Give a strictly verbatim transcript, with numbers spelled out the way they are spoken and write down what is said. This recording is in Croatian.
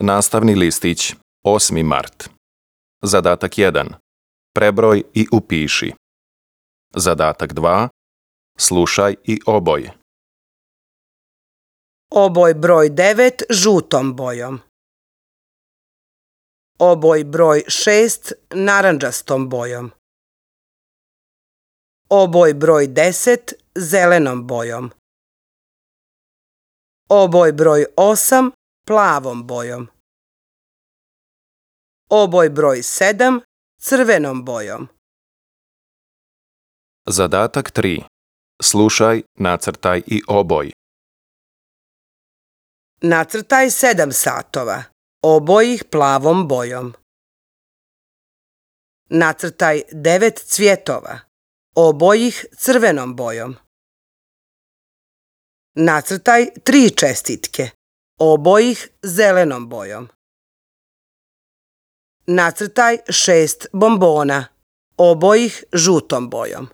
Nastavni listić, osmi mart. Zadatak jedan. Prebroj i upiši. Zadatak dva. Slušaj i oboj. Oboj broj devet žutom bojom. Oboj broj šest narandžastom bojom. Oboj broj deset zelenom bojom. Oboj broj osam plavom bojom. Oboj broj sedam crvenom bojom. Zadatak tri. Slušaj, nacrtaj i oboj. Nacrtaj sedam satova, oboj ih plavom bojom. Nacrtaj devet cvjetova, oboj ih crvenom bojom. Nacrtaj tri čestitke, oboj ih zelenom bojom. Nacrtaj šest bombona, oboj ih žutom bojom.